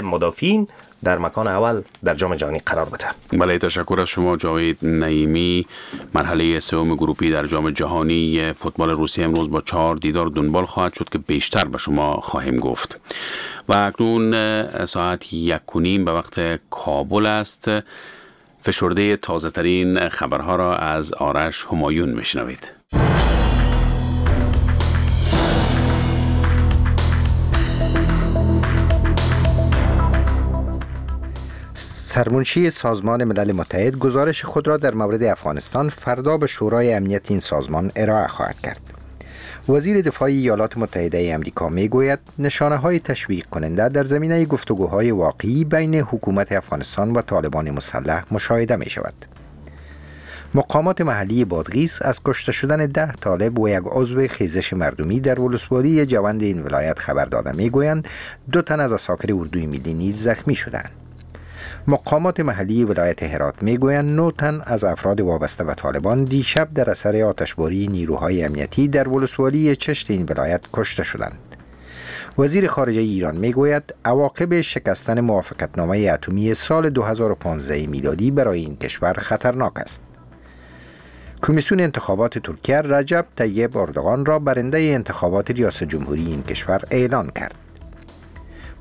مدافعین در مکان اول در جام جهانی قرار بده. بله، تشکر از شما جاوید نعیمی. مرحله سوم گروپی در جام جهانی فوتبال روسیه امروز با 4 دیدار دنبال خواهد شد که بیشتر به شما خواهیم گفت. و اکنون ساعت 1:30 به وقت کابل است. فشرده تازه ترین خبرها را از آرش همایون میشنوید. سرمنشی سازمان ملل متحد گزارش خود را در مورد افغانستان فردا به شورای امنیت این سازمان ارائه خواهد کرد. وزیر دفاع ایالات متحده آمریکا میگوید نشانه های تشویق کننده در زمینه گفتگوهای واقعی بین حکومت افغانستان و طالبان مسلح مشاهده می شود. مقامات محلی بادغیس از کشته شدن 10 طالب و یک عضو خیزش مردمی در ولسوالی جوند این ولایت خبر داده میگویند 2 تن از عساکر اردوی ملی نیز زخمی شدند. مقامات محلی ولایت هرات میگویند 9 تن از افراد وابسته به طالبان دیشب در اثر آتشباری نیروهای امنیتی در ولسوالی چشت این ولایت کشته شدند. وزیر خارجه ایران میگوید عواقب شکستن موافقتنامه اتمی سال 2015 میلادی برای این کشور خطرناک است. کمیسیون انتخابات ترکیه رجب طیب اردوغان را برنده انتخابات ریاست جمهوری این کشور اعلان کرد.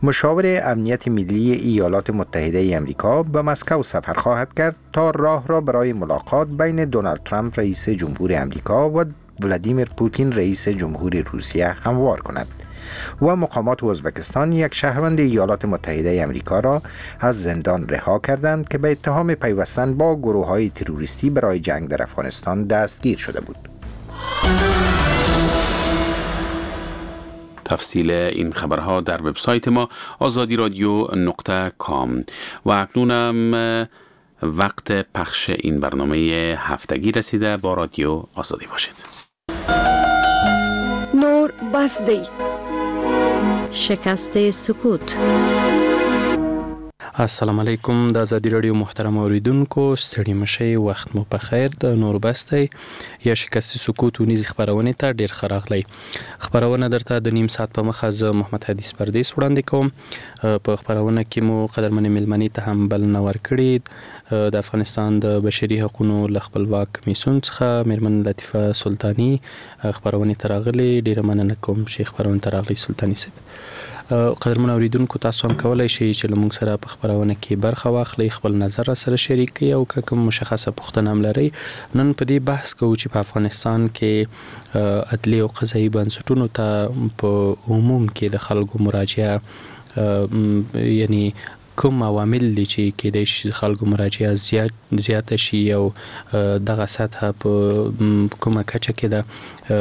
مشاور امنیت ملی ایالات متحده امریکا به مسکو سفر خواهد کرد تا راه را برای ملاقات بین دونالد ترامپ رئیس جمهور امریکا و ولادیمیر پوتین رئیس جمهور روسیه هموار کند. و مقامات ازبکستان یک شهروند ایالات متحده امریکا را از زندان رها کردند که به اتهام پیوستن با گروه‌های تروریستی برای جنگ در افغانستان دستگیر شده بود. تفصیل این خبرها در وبسایت ما azadiradio.com. و اکنونم وقت پخش این برنامه هفتگی رسیده. با رادیو آزادی باشید. نور بس دی. شکست سکوت. السلام علیکم د ازادي رادیو محترم اوریدونکو، ستړي مشي، وخت مو په خیر. د نور بس دی یا شکست سکوت اونیزې خپرونې ته ډېر ښه راغلی. خپرونه درته د نیم ساعت په مخه زه محمد حدیث پردیس وړاندې کوم. په خپرونه کې مو قدرمنې میلمنې ته هم بلنه ورکړې. د افغانستان د بشري حقونو له خپلواک کمیسیون څخه میرمن لطیفه سلطاني خپرونې ته راغلې. ډېره مننه کوم چې خپرونې ته راغلې سلطاني صاحب. قدرمن اوریدونکو، تاسو هم کولای شئ چې له موږ سره په خپرونه کې برخه واخلئ، خپل نظر را سره شریک کړئ او که کوم مشخصه پوښتنه هم لرئ. نن په دې بحث کوو چې په افغانستان کې عدلي او قضایي بنسټونو ته په عموم کې د خلکو مراجعه، یعنی کوم عوامل دي چې کېدای شي خلکو مراجعه زیاته شي او دغه سطحه په کومه کچه کې ده. د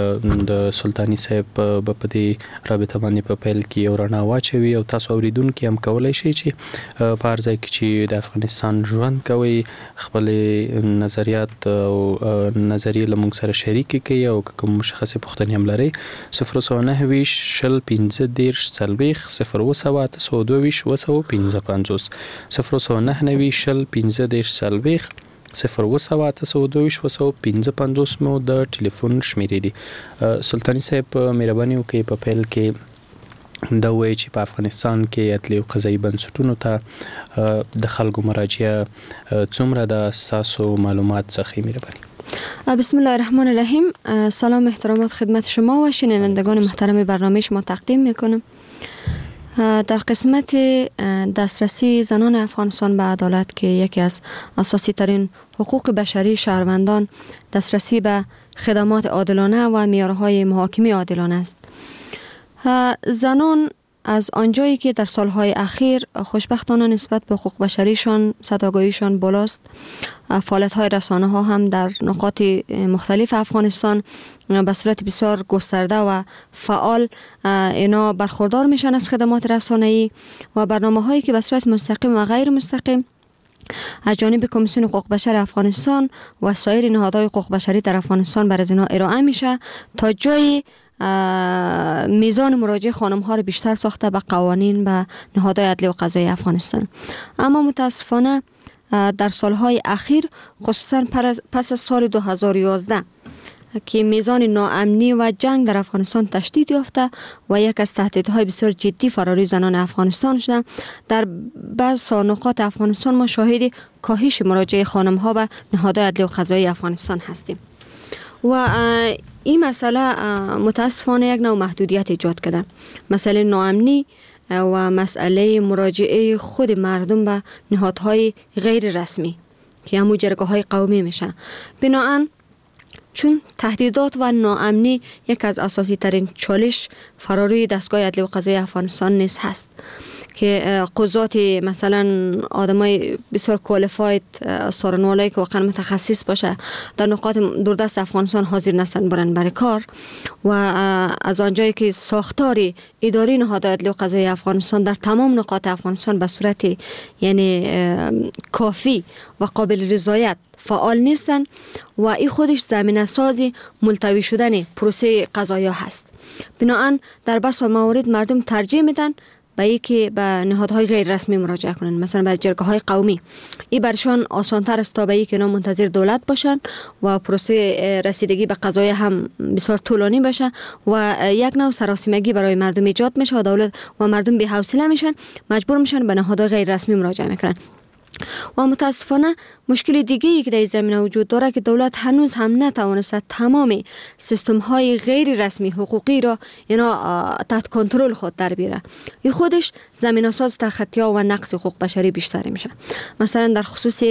سلطاني صاحب به په دې رابطه باندې په پیل کې یو رڼا واچوي او تاسو اوریدونکي هم کولای شئ چې په هر ځای کې چې د افغانستان ژوند کوئ خپلې نظریات او نظریې له موږ سره شریکې کړئ او که کوم مشخصې پوښتنې هم لرئ 029 20 15 40 0 822 55 029 20 15 40 0 822 55 مو د ټلیفون شمیرې دي. سلطاني صاحب، مهرباني وکړئ په پیل کې دا ووایئ چې په افغانستان کې عدلي او قضایي بنسټونو ته د خلکو مراجعه څومره ده، ستاسو معلومات څخه مهرباني. بسم الله الرحمن الرحیم. سلام احترامات خدمت شما و شنوندگان محترم برنامه شما تقدیم میکنم. در قسمت دسترسی زنان افغانستان به عدالت که یکی از اساسی ترین حقوق بشری شهروندان دسترسی به خدمات عادلانه و معیارهای محاکمه عادلانه است. زنان از آنجایی که در سالهای اخیر خوشبختانه نسبت به حقوق بشریشان سطح آگاهیشان بالاست، فعالیت‌های رسانه ها هم در نقاط مختلف افغانستان به صورت بسیار گسترده و فعال اینا برخوردار میشن از خدمات رسانه‌ای و برنامه‌هایی که به صورت مستقیم و غیر مستقیم از جانب کمیسیون حقوق بشر افغانستان و سایر نهادهای حقوق بشری در افغانستان بر از اینا ارائه میشه تا جای میزان مراجعه خانم ها رو بیشتر ساخته به قوانین و نهادهای عدلی و قضایی افغانستان. اما متاسفانه در سالهای اخیر خصوصا پس از سال 2011 که میزان ناامنی و جنگ در افغانستان تشدید یافته و یک از تهدیدهای بسیار جدی فراری زنان افغانستان شده، در بعض نقاط افغانستان ما شاهد کاهش مراجعه خانم ها به نهادهای عدلی و قضایی افغانستان هستیم و این مسئله متاسفانه یک نوع محدودیت ایجاد کرده. مسئله ناامنی و مسئله مراجعه خود مردم به نهادهای غیر رسمی که همون جرگه های قومی میشه. بناهن چون تهدیدات و ناامنی یک از اساسی ترین چالش فراروی دستگاه عدلی و قضایی افغانستان نیز هست که قضات مثلا آدمای بسیار qualified، سارنوالایی که واقعا متخصص باشه در نقاط دوردست افغانستان حاضر نستن برن برای کار و از آنجایی که ساختار اداری نهاد عدلی و قضایی افغانستان در تمام نقاط افغانستان به صورت یعنی کافی و قابل رضایت فعال نیستن و این خودش زمینه سازی ملتوی شدن پروسه قضایا هست. بناهن در بس موارد مردم ترجیح میدن به یکی به نهادهای غیر رسمی مراجعه کنن، مثلا به جرگه های قومی. این برشان آسانتر است تا به یکی اینا منتظر دولت باشن و پروسه رسیدگی به قضای هم بسیار طولانی باشه و یک نوع سراسیمگی برای مردم ایجاد میشه و دولت و مردم بی حوصله میشن، مجبور میشن به نهادهای غیر رسمی مراجعه میکنن. و متاسفانه مشکل دیگه ای که در زمینه وجود داره که دولت هنوز هم نتوانسته تمام سیستم های غیر رسمی حقوقی را اینا تحت کنترل خود در بیاره. این خودش زمینه ساز تخطی ها و نقض حقوق بشری بیشتر میشه. مثلا در خصوص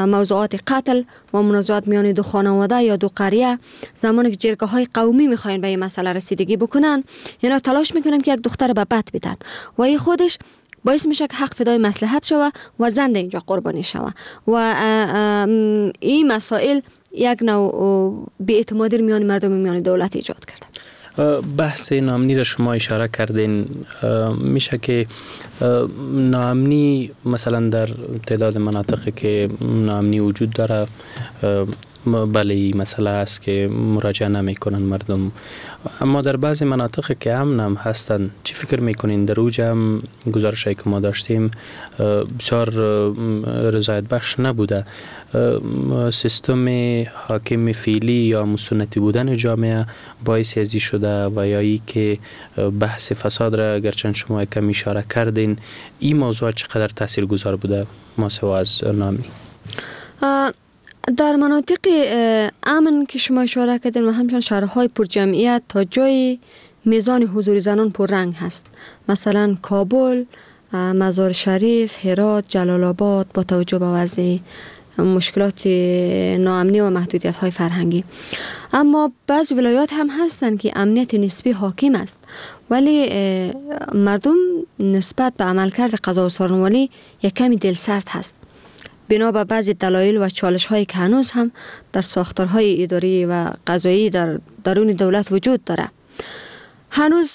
موضوعات قتل و منازعات میان دو خانواده یا دو قریه، زمانی که جرگه های قومی میخواین به این مسئله رسیدگی بکنن، اینا تلاش میکنن که یک دختر به بد بدن و این خودش باعث میشه که حق فدای مصلحت شوه و زن اینجا قربانی شوه و این مسائل یک نوع بی‌اعتمادی میان مردم میان دولت ایجاد کرده. بحث ناامنی را شما اشاره کردین، میشه که ناامنی مثلا در تعداد مناطقی که ناامنی وجود داره، بله این مسئله است که مراجعه نمیکنن مردم، اما در بعضی مناطق که امن هم هستن چی فکر میکنین؟ در اوج هم گزارشی که ما داشتیم بسیار رضایت بخش نبوده. سیستم حاکم فعلی یا مسنتی بودن جامعه باعث ازی شده و یا ای که بحث فساد را گرچند شما کم اشاره کردین، این موضوع چقدر تاثیرگذار بوده ما سوا از نامی؟ در مناطق امن که شما اشاره کردین و همچنین شهرهای پرجمعیت تا جای میزان حضور زنان پررنگ هست، مثلا کابل، مزار شریف، هرات، جلال آباد، با توجه به وضع مشکلات ناامنی و محدودیت های فرهنگی. اما بعض ولایات هم هستند که امنیت نسبی حاکم است، ولی مردم نسبت به عملکرد قضا و سارنوالی یک کمی دلسرد هست، بنا به بعضی دلایل و چالش هایی که هنوز هم در ساختارهای اداری و قضایی در درون دولت وجود داره. هنوز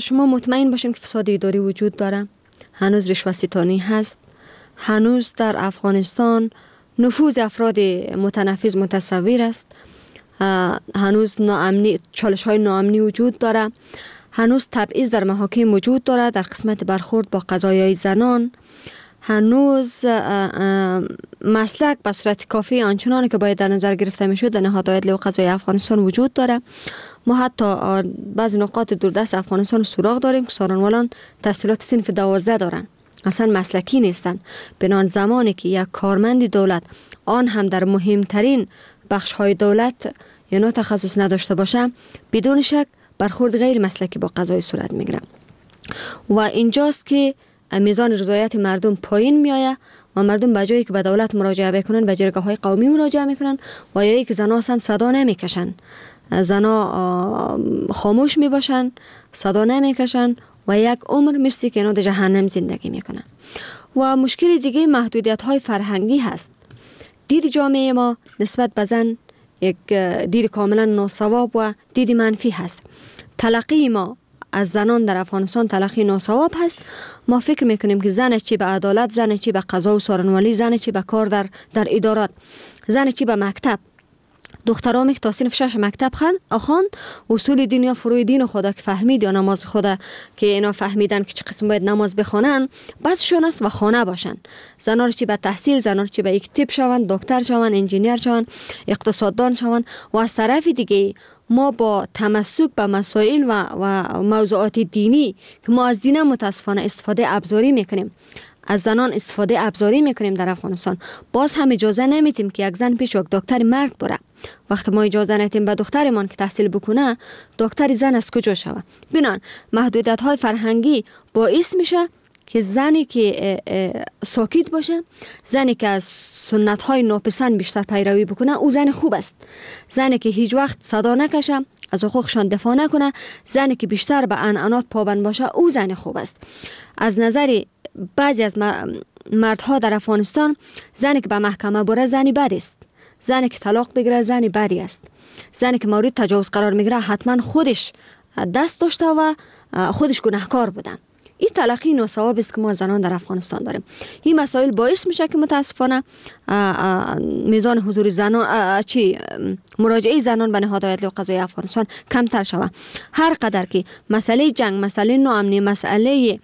شما مطمئن باشین که فساد اداری وجود داره، هنوز رشوه ستانی هست، هنوز در افغانستان نفوذ افراد متنفذ متصور است، هنوز ناامنی، چالش های ناامنی وجود داره، هنوز تبعیض در محاکم وجود داره در قسمت برخورد با قضایای زنان، هنوز مسلک به صورت کافی آنچنان که باید در نظر گرفته میشد در نهادهای عدلی و قضایی افغانستان وجود داره. ما حتی بعضی نقاط دوردست افغانستان سراغ داریم که سارنوالان تحصیلات صنف 12 دارن، اصلا مسلکی نیستن. بنان زمانی که یک کارمند دولت آن هم در مهمترین بخش های دولت یا تخصص نداشته باشه، بدون شک برخورد غیر مسلکی با قضای صورت میگیره و اینجاست که میزان رضایت مردم پایین میآید و مردم به جایی که به دولت مراجعه بکنن به جرگه های قومی مراجعه میکنن و یا که زنها اصلا صدا نمیکشن، زنها خاموش میباشن، صدا نمیکشن و یک عمر مثل که اینا در جهنم زندگی میکنن. و مشکل دیگه محدودیت های فرهنگی هست. دید جامعه ما نسبت به زن یک دید کاملا ناصواب و دید منفی هست. تلقی ما از زنان در افغانستان تلقی ناصواب هست. ما فکر میکنیم که زن چی به عدالت، زن چی به قضا و سارنوالی، زن چی به کار در ادارات، زن چی به مکتب. دخترام که تا صنف 6 مکتب خواند، اصول دین یا فروع دین خدا که فهمید یا نماز خدا که اینا فهمیدن که چه قسم باید نماز بخوانن، بسشون است و خانه باشن. زنان رو چی به تحصیل، زنان رو چی به یک تیپ شوند، دکتر شوند، انجینیر شوند، اقتصاددان شوند. و از طرف دیگه ما با تمسک به مسائل و موضوعات دینی که ما از دین متاسفانه استفاده ابزاری میکنیم، از زنان استفاده ابزاری میکنیم در افغانستان، باز هم اجازه نمیتیم که یک زن پیش یک دکتر مرد بره. وقتی ما اجازه ندیم به دخترمان که تحصیل بکنه، دکتر زن از کجا شوه؟ بنان محدودیت های فرهنگی باعث میشه که زنی که ساکت باشه، زنی که از سنت های ناپسند بیشتر پیروی بکنه، او زن خوب است. زنی که هیچ وقت صدا نکشه، از حقوقشان دفاع نکنه، زنی که بیشتر به عنعنات پابند باشه، او زن خوب است. از نظر بعضی از مردها در افغانستان، زنی که به محکمه بره زنی بد است، زنی که طلاق بگیره زنی بدی است، زنی که مورد تجاوز قرار میگیره حتما خودش دست داشته و خودش گناهکار بوده. این تلقی ناصواب است که ما زنان در افغانستان داریم. این مسائل باعث میشه که متاسفانه میزان حضور زنان، مراجعه زنان به نهادهای عدلی و قضایی افغانستان کمتر شود. هر قدر که مسئله جنگ، مسئله ناامنی، مسئله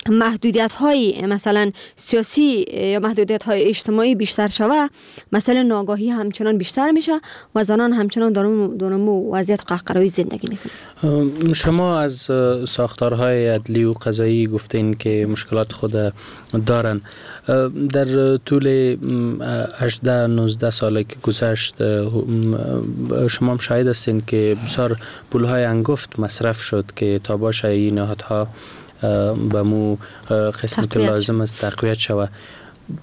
محدودیت های مثلا سیاسی یا محدودیت های اجتماعی بیشتر شوه، مسئله ناگاهی همچنان بیشتر میشه و زنان همچنان دارمو وضعیت قهقرایی زندگی میکنن. شما از ساختارهای عدلی و قضایی گفتین که مشکلات خود دارن. در طول 18-19 سال که گذشت شما هم شاهد هستین که بسیار پولهای انگفت مصرف شد که تا باشه این نهادها به مو قسمی که لازم است تقویت شود.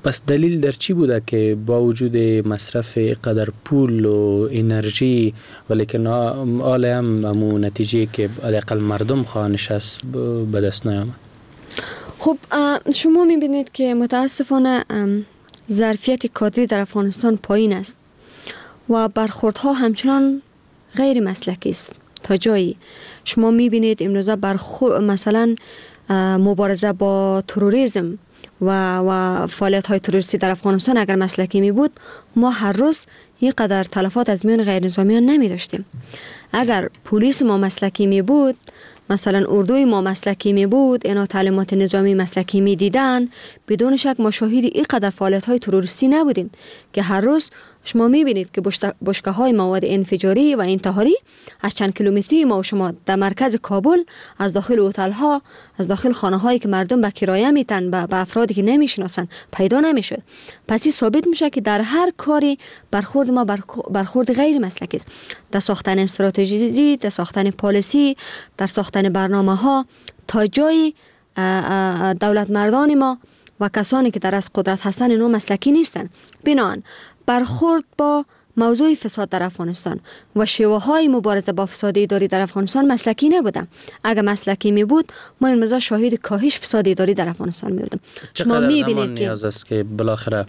پس دلیل در چی بوده که با وجود مصرف قدر پول و انرژی ولیکن حال هم مو نتیجه که حداقل مردم خواهانش است به دست نیامد؟ خب شما میبینید که متاسفانه ظرفیت کادری در افغانستان پایین است و برخوردها همچنان غیر مسلکی است. تا جایی شما میبینید امروزه مثلا مبارزه با تروریسم و فعالیت های تروریستی در افغانستان اگر مسلکی می بود، ما هر روز اینقدر تلفات از میان غیر نظامیان نمی داشتیم. اگر پلیس ما مسلکی می بود، مثلا اردوی ما مسلکی می بود، اینا تعلیمات نظامی مسلکی می دیدن، بدون شک ما شاهد اینقدر فعالیت های تروریستی نبودیم که هر روز شما میبینید که بشکه های مواد انفجاری و انتحاری از چند کیلومتری ما و شما در مرکز کابل، از داخل هتل ها، از داخل خانه هایی که مردم به کرایه میتن، به افرادی که نمیشناسن پیدا نمیشد. پس این ثابت میشه که در هر کاری برخورد ما برخورد غیر مسلکی است. در ساختن استراتژی، در ساختن پالیسی، در ساختن برنامه ها، تا جایی دولت مردان ما و کسانی که در از قدرت هستن اینا مسلکی نیستن. بنابراین برخورد با موضوع فساد در افغانستان و شیوه های مبارزه با فساد اداری در افغانستان مسلکی نبوده. اگر مسلکی می بود، ما این روزا شاهد کاهش فساد اداری در افغانستان می بودیم. شما می بینید که نیاز است که بالاخره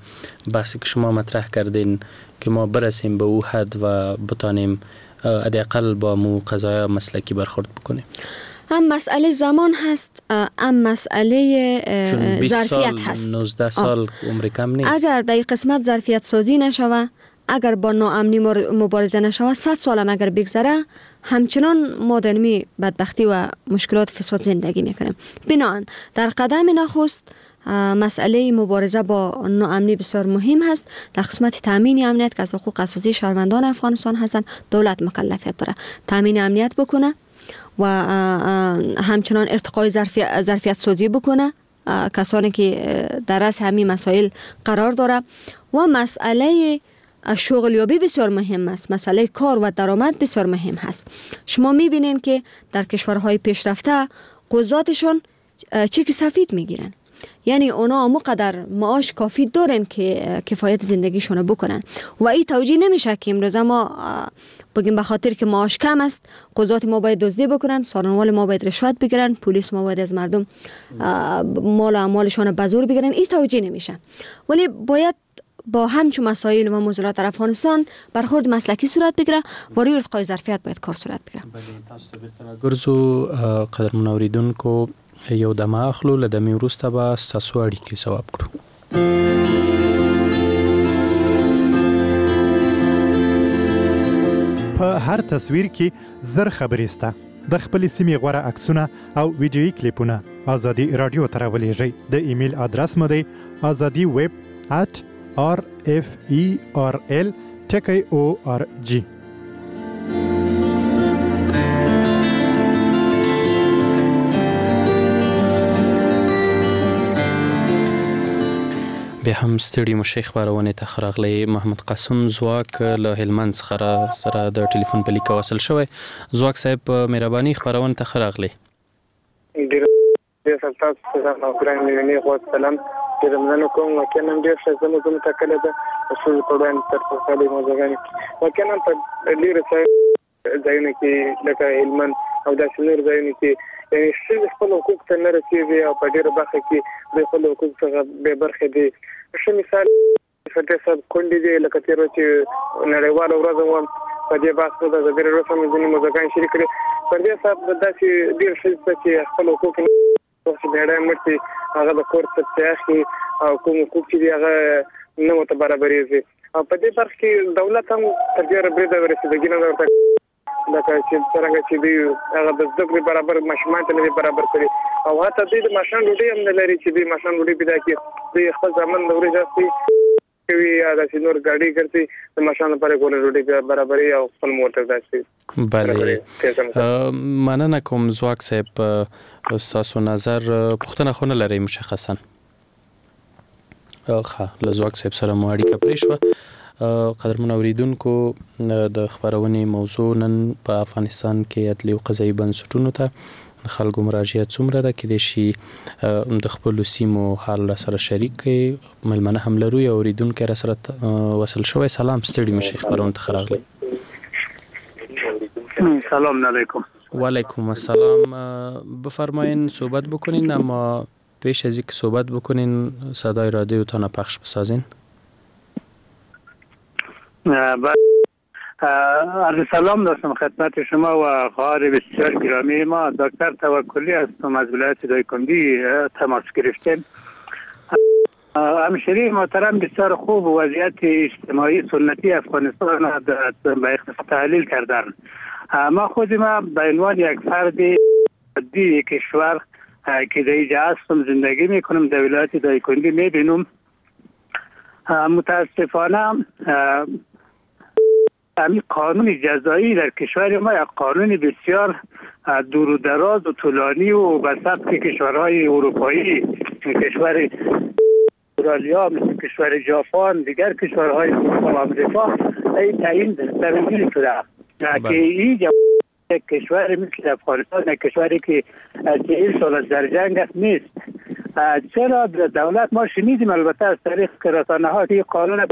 بحثی که شما مطرح کردین که ما برسیم به او حد و بتانیم حداقل با مو قضایا مسلکی برخورد بکنیم. هم مسئله زمان هست، هم مسئله ظرفیت هست. 19 سال عمر کم نیست. اگر در این قسمت ظرفیت سازی نشوه، اگر با ناامنی مبارزه نشوه، 100 سال هم اگر بگذره، همچنان ما در می بدبختی و مشکلات فساد زندگی میکنیم. بنابراین در قدم نخست مسئله مبارزه با ناامنی بسیار مهم هست. در قسمت تامین امنیت که از حقوق اساسی شهروندان افغانستان هستند، دولت مکلفیت داره تامین امنیت بکنه و همچنان ارتقای ظرفیت سازی بکنه کسانی که در رأس همین مسائل قرار داره. و مسئله شغلیابی بسیار مهم است، مسئله کار و درآمد بسیار مهم هست. شما میبینین که در کشورهای پیشرفته قضاتشون چک سفید میگیرن، یعنی اونا مقدر معاش کافی دارن که کفایت زندگیشون رو بکنن و این توجیه نمیشه که امروز ما بگیم به خاطر که معاش کم است قضات ما باید دزدی بکنن، سارنوال ما باید رشوت بگیرن، پلیس ما باید از مردم مال و اموالشان به زور بگیرن. این توجیه نمیشه، ولی باید با همچون مسائل و موضوعات در افغانستان برخورد مسلکی صورت بگیره و روی ارتقای ظرفیت باید کار صورت بگیره. بله، تاسو ته بیرته راګرځو. قدرمن اوریدونکو، یو دمه اخلو، له دمې وروسته به ستاسو اړیکې ځواب کړو. په هر تصویر کې 1000 خبرې سته. د خپلې سیمې غوره عکسونه او ویډیويي کلیپونه ازادي راډیو ته راولېږئ. د ایمیل ادرس مو دی azadiweb@rferl.org. بیا هم ستړي مشي خبرونه ته خراغلی محمد قاسم ځواک له هلمند څخه را سره د ټلیفون په لیکه وصل شوی. ځواک صاحب په مهرباني خبرونه ته خراغلی. ډیر ډیر تاسو ته او ګران مینې غو سلام، ډیر مننه کوم. واقعا نن ډیر ښه زموږ ټاکلې ده ښځو په وړاندې تر ټولو موضوعګانې. واقعا په ډېرو ځایونو کې لکه هلمند او داسې نور ځایونو کې یعنې ښځې خپل حقوق ته نه رسېږي او په ډېره برخه کې دوی خپل حقوق څخه بې برخې دي. ښه مثال فتح صاحب کونډې دي، لکه تېره چې نړیواله ورځ وه په دې بحث مو د ازادي راډیو سره ځینې موضوعګانې شریک کړې. پر دې حساب داسې ډېر ښځې شته چې خپل حقوق وخت چې مېړه یې مړ شي هغه د کور څه اخلي او کوم حقوق چې دي هغه نه ورته برابرېږي. او په دې برخه کې دولت هم تر ډېره بریده رسیدګي نه ده ورته، لکه چې څرنګه چې دوی هغه د زده کړې برابر ماشومان ته نه دي برابر کړي او حتی دوی د ماښام ډوډۍ هم نه لري چې دوی ماښام ډوډۍ پیدا کړي. دوی خپل زامن د ورځې اخلي کوي یا داسې نور ګاډي ګرځي د ماښام لپاره ګوله ډوډۍ برابري او خپل مور ته داسې. بله مننه کوم ځواک صاحب، ستاسو نظر پوښتنه خو نه لرئ مشخصا؟ ښه، له ځواک صاحب سره مو اړیکه پرې شوه. قدرمن اوریدونکو، د خپرونې موضوع نن په افغانستان کې عدلي او قضایي بنسټونو ته د خلکو مراجعه څومره ده، کېدای شي د خپلو سیمو حال را سره شریک کړئ. مېلمنه هم لرو، یو اوریدونکی را سره وصل شوی. سلام، ستړي مه شئ، خپرونې ته ښه راغلئ. سلام علیکم. وعلیکم السلام. بفرمایین صحبت بکنین، اما پیش از اینکه صحبت بکنین صدای رادیوتان پخش بسازین. عرض سلام داشتم خدمت شما و خواهر بسیار گرامی ما دکتر توکلی هستم، از ولایت دایکندی تماس گرفتیم. همشهری محترم بسیار خوب وضعیت اجتماعی سنتی افغانستان به اختصار تحلیل کردن. ما خود ما به عنوان یک فرد عادی کشور که در اینجا هستم زندگی میکنم در ولایت دایکندی میبینم، متاسفانه همین قانون جزایی در کشور ما یک قانون بسیار دور و دراز و طولانی و به سبک کشورهای اروپایی، کشور استرالیا، مثل کشور ژاپن، دیگر کشورهای اروپا و آمریکا این تعیین تنظیم شده که این یک کشور مثل افغانستان، یک کشوری که 40 سال در جنگ است نیست. چرا دولت ما شنیدیم البته از طریق رسانه ها که قانون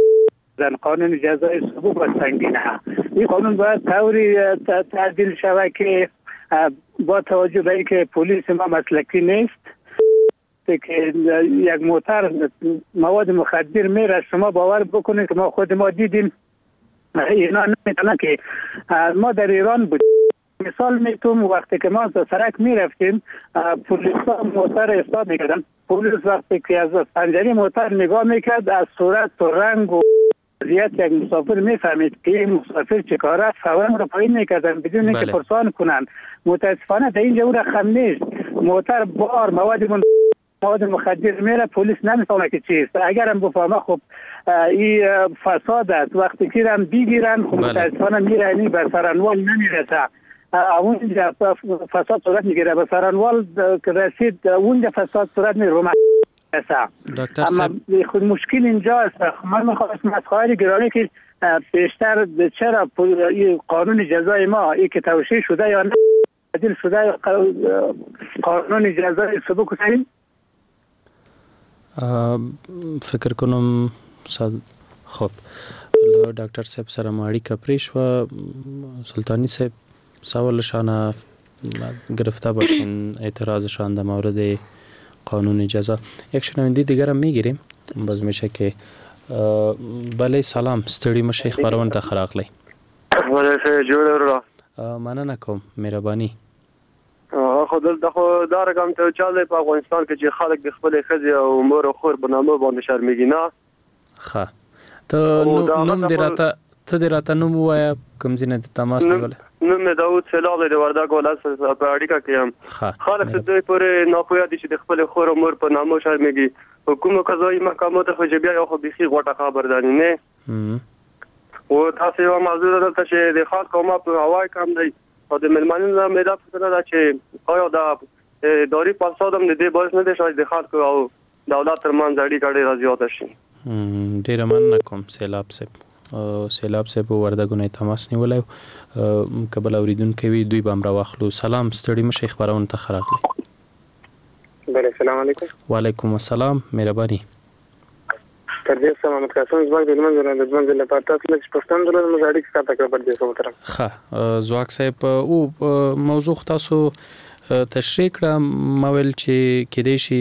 قانون جزای سبک و سنگینه، این قانون باید طوری تعدیل شود که با توجه به اینکه پلیس ما مسلکی نیست که یک موتر مواد مخدر میره، شما باور بکنید که ما خود ما دیدیم اینا نمیتونن که ما در ایران بودیم. مثال میتونم وقتی که ما از سرک میرفتیم پلیس ها موتر استاد میکردن، پلیس وقتی که از پنجره موتر نگاه میکرد از صورت و رنگ و وضعیت یک مسافر میفهمید که این مسافر چه کاره است، فورا رو پایین میکردن بدون اینکه پرسان کنن. متاسفانه در اینجا او رقم نیست، موتر بار مواد مخدر میره، پلیس نمیفهمه که چیست. اگرم بفهمه خب این فساد است، وقتی که هم بگیرن خب متاسفانه میره، یعنی به سرانوال نمیرسه، اونجا فساد صورت میگیره، به سرانوال که رسید اونجا فساد صورت میگیره. اما خود مشکل اینجا است. من میخواستم از خواهر گرامی که بیشتر چرا قانون جزای ما ای که توشیح شده یا نه تعدیل شده قانون جزای سبک و فکر کنم خب له ډاکټر صاحب سره مو اړیکه پرې شوه. سلطانی صاحب سوالشان گرفته باشین، اعتراضشان در مورد قانون جزا. یک شنونده دیگر هم میگیریم باز میشه که بله. سلام، ستړي مشه، خپرونې ته ښه راغلی. جوړ وروره. مننه کوم، مهرباني. خو دلته خو دا رقم ته چال دی په افغانستان کې چې خلک د خپلې ښځې او مور او خور په نامه باندې شرمېږي نه. ښه، ته نوم دې راته ته دې راته نوم ووایه، کوم ځای نه دې تماس نیولی؟ نوم مې داود سیلاب دی، د وردګ ولایت سره په اړیکه کې یم. خلک تر دې پورې ناپوهه دي چې د خپلې خور او مور په نامو شرمېږي. په کومو قضایي محکمو ته خو چې بیا یو خو بیخي غوټه خبر ده نه. و داسې یوه موضوع ده دلته چې د خلکو عامه پوهاوی کم دی او د مېلمنو نه مې دا پوښتنه ده چې آیا دا اداري فساد هم د دې باعث نه دی شوی چې د خلکو او دولت ترمنځ اړیکه ډېره زیاته شي؟ ډېره مننه کوم سیلاب صاحب. سیلاب صاحب وردګو نه تماس نیولی و، که بل اوریدونکی وي دوی به هم راواخلو. سلام، ستړي مه شئ، خپرونې ته ښه راغلئ. بله سلام علیکم. وعلیکم السلام، مهرباني. پردیس صاحب محمد قاسم ځواک د هلمند ولایت د دوه ځل لپاره تاسو لږ پوښتنه درلوده موږ اړیکه قطع کړه پردیس صاحب محترم. ښه ځواک صاحب او موضوع خو تاسو تشریح کړه، ما ویل چې کیدای شي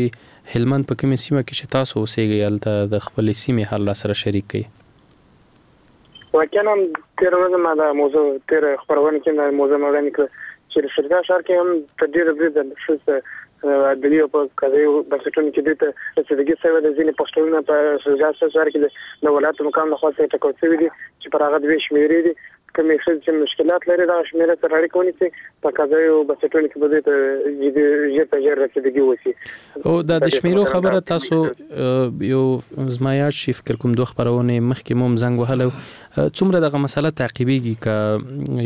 هلمند په کومې سیمه کې چې تاسو اوسیږئ هلته د خپلې سیمې حال راسره شریک کړئ. واقعا هم تېره ورځ ما دا موضوع تېره خپرونه کې دا موضوع ما وړاندې کړه چې د شرګاه ښار کې هم تر ډېره بریده ښځو عدلي او په قضایي بنسټونو کې دوی ته رسیدګي شوې ده. ځینې پوسټرونه په شرګاه ښار کې د ولایت مقام له خوا څخه ټاکل شوي دي چې پر هغه دوې شمېرې دي. کومې ښځې چې مشکلات لري دغه شمېره سره اړیکه ونیسي، په قضایي بنسټونو کې به دوی ته جدي ژر تر ژر رسیدګي وشي. او دا د شمېرو خبره تاسو یو زما یاد شي، فکر کوم دوه خپرونې مخکې مو هم زنګ وهلی و، څومره دغه مسله تعقیبېږي که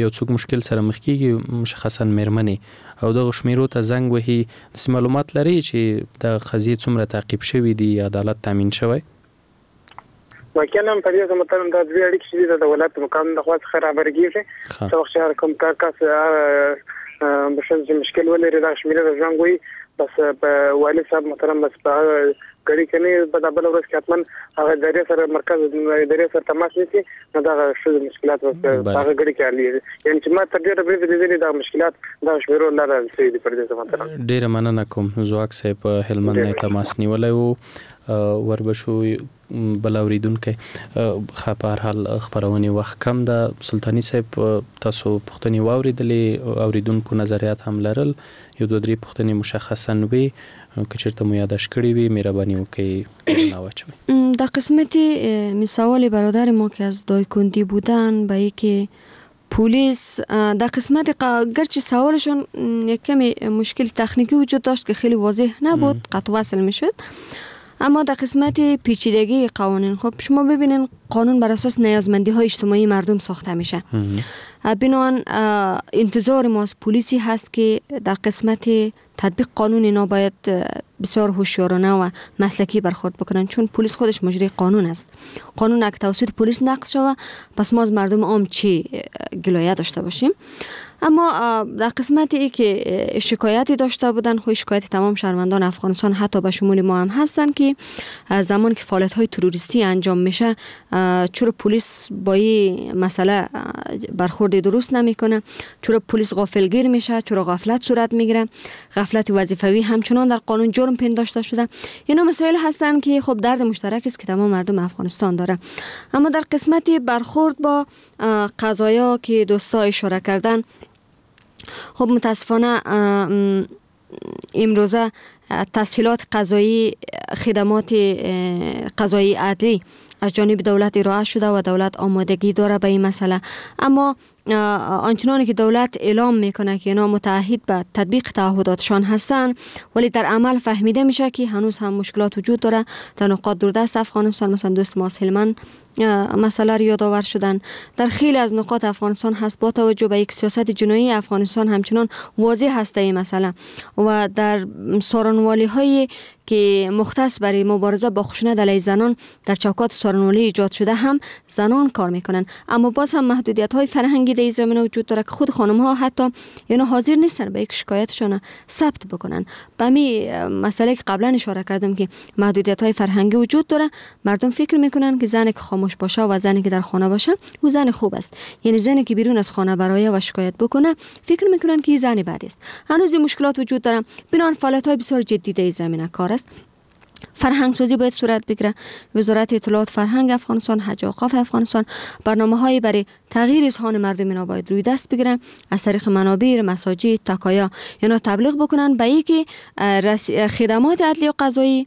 یو څوک مشکل سره مخ کېږي، مشخصا مېرمنې او دغو شمېرو ته زنګ وهي، داسې معلومات لرئ چې دغه قضیې څومره تعقیب شوې دي، عدالت تامین شوی؟ واقعا هم په دې زه محترم دا دوې اړیکې چې دي دا د ولایت مقام د خوا څخه رابرګېږي. څه وخت چې هر کوم کس ښځه چې مشکل ولري دغه شمېرې ته زنګ وهي، بس په والي صاحب محترم بس په هغه ګړي کې نه په دا بله ورځ کې حتما هغه ادارې سره مرکز ادارې سره تماس نیسي، نو دغه ښځو مشکلات بس په هغه ګړي کې حلېږي. یعنې چې ما تر ډېره بریده لیدلي دغه مشکلات دغه شمېرو له لارې حل شوي دي. پر دې زه محترم ډېره مننه کوم ځواک صاحب هلمند نه تماس نیولی و. وربه شو بل اوریدونکی. ښه په هر حال خپرونې وخت کم ده. سلطاني صاحب تاسو پوښتنې واوریدلې، اوریدونکو نظریات هم لرل، یو دوه درې پوښتنې مشخصا وې، که چېرته مو یاداشت کړې وي مهرباني وکړئ رڼا واچوئ. در قسمت مثال برادر ما که از دایکندی بودن به ای که پلیس در قسمت گرچه سوالشون یک کمی مشکل تکنیکی وجود داشت که خیلی واضح نبود، قطع وصل میشد، اما در قسمت پیچیدگی قوانین، خب شما ببینین قانون بر اساس نیازمندی های اجتماعی مردم ساخته میشه. بنابراین انتظار ما از پلیسی هست که در قسمت تطبیق قانون اینا باید بسیار هوشیارانه و مسلکی برخورد بکنن، چون پلیس خودش مجری قانون است. قانون اگه توسط پلیس نقض شوه پس ما از مردم عام چی گلایه داشته باشیم. اما در قسمت ای که شکایتی داشته بودن، خب شکایت تمام شهروندان افغانستان حتی به شمول ما هم هستن که زمان که فعالیت های تروریستی انجام میشه چرا پلیس با این مسئله برخورد درست نمیکنه، چرا پلیس غافلگیر میشه، چرا غفلت صورت میگیره، غفلت وظیفوی همچنان در قانون جرم پنداشته شده. اینا مسائل هستن که خب درد مشترک است که تمام مردم افغانستان داره. اما در قسمت برخورد با قضایا که دوستا اشاره کردن، خب متاسفانه امروزه تسهیلات قضایی، خدمات قضایی عدلی از جانب دولت ارائه شده و دولت آمادگی داره به این مسئله، اما آنچنانی که دولت اعلام میکنه که اینا متعهد به تطبیق تعهداتشان هستند، ولی در عمل فهمیده میشه که هنوز هم مشکلات وجود داره در نقاط دوردست افغانستان. مثلا دوست ما هلمند مسئله رو یادآور شدن، در خیلی از نقاط افغانستان هست. با توجه به یک سیاست جنایی افغانستان همچنان واضح هست این مسئله و در سارنوالی هایی که مختص برای مبارزه با خشونت علیه زنان در چوکات سارنوالی ایجاد شده هم زنان کار میکنن، اما باز هم محدودیت های فرهنگی در این زمینه وجود داره که خود خانم ها حتی اینا حاضر نیستن به یک شکایتشان ثبت بکنن. به می مسئله که قبلا اشاره کردم که محدودیت های فرهنگی وجود داره، مردم فکر میکنن که زنی که خاموش باشه و زنی که در خانه باشه او زن خوب است، یعنی زنی که بیرون از خانه برای و شکایت بکنه فکر میکنن که این زن بد است. هنوز این مشکلات وجود داره. بنابراین فعالیت های بسیار جدی در این زمینه کار است. فرهنگ سازی باید صورت بگیره. وزارت اطلاعات فرهنگ افغانستان، حج و اوقاف افغانستان برنامه‌هایی برای تغییر اذهان مردم اینا باید روی دست بگیرن، از طریق منابر، مساجد، تکایا اینا تبلیغ بکنن به اینکه خدمات عدلی و قضایی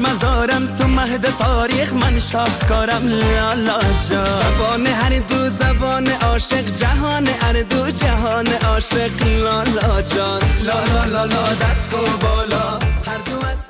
از مزارم، تو مهد تاریخ من شاهکارم لالا جان. زبان هر دو زبان عاشق، جهان هر دو جهان عاشق لالا جان. لا لا لا لا دست و بالا هر دو از